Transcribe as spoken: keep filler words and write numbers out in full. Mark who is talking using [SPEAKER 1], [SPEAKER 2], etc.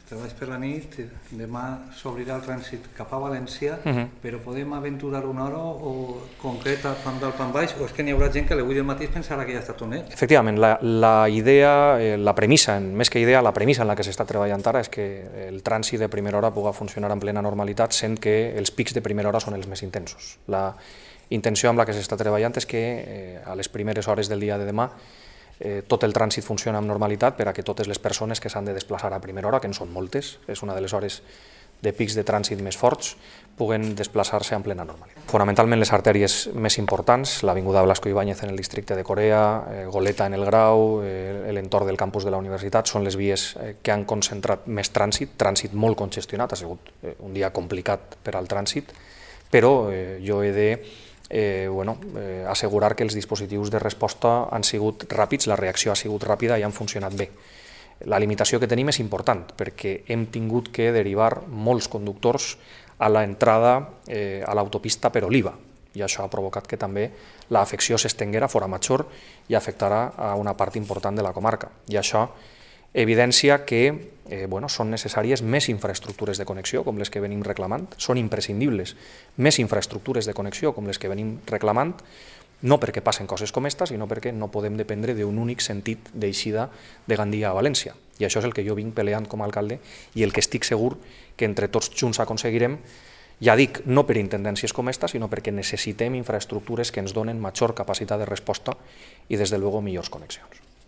[SPEAKER 1] treballs per la nit, demà s'obrirà el trànsit cap a València, uh -huh. però podem aventurar una hora o concreta pan dalt, pan baix, o és que n'hi haurà gent que a l'avui del matí pensarà que ja està tot net?
[SPEAKER 2] Efectivament, la, la idea, eh, la premissa, més que idea, la premissa en la que s'està treballant ara és que el trànsit de primera hora pugui funcionar en plena normalitat, sent que els pics de primera hora són els més intensos. La intenció amb la que s'està treballant és que eh, a les primeres hores del dia de demà eh, tot el trànsit funciona amb normalitat per a que totes les persones que s'han de desplaçar a primera hora, que en són moltes, és una de les hores de pics de trànsit més forts, puguen desplaçar-se en plena normalitat. Fonamentalment les artèries més importants, l'avinguda Blasco Ibáñez en el districte de Corea, eh, Goleta en el Grau, eh, l'entorn del campus de la universitat, són les vies eh, que han concentrat més trànsit, trànsit molt congestionat, ha sigut eh, un dia complicat per al trànsit, però eh, jo he de Eh, bueno, eh, assegurar que els dispositius de resposta han sigut ràpids, la reacció ha sigut ràpida i han funcionat bé. La limitació que tenim és important perquè hem tingut que derivar molts conductors a l'entrada eh, a l'autopista per Oliva i això ha provocat que també l'afecció s'estenguera fora Major i afectarà a una part important de la comarca. I això evidència que eh, bueno, són necessàries més infraestructures de connexió, com les que venim reclamant, són imprescindibles més infraestructures de connexió, com les que venim reclamant, no perquè passen coses com esta, sinó perquè no podem dependre d'un únic sentit d'eixida de Gandia a València. I això és el que jo vinc peleant com a alcalde i el que estic segur que entre tots junts aconseguirem, ja dic, no per intendències com esta, sinó perquè necessitem infraestructures que ens donen major capacitat de resposta i, des de luego, millors connexions.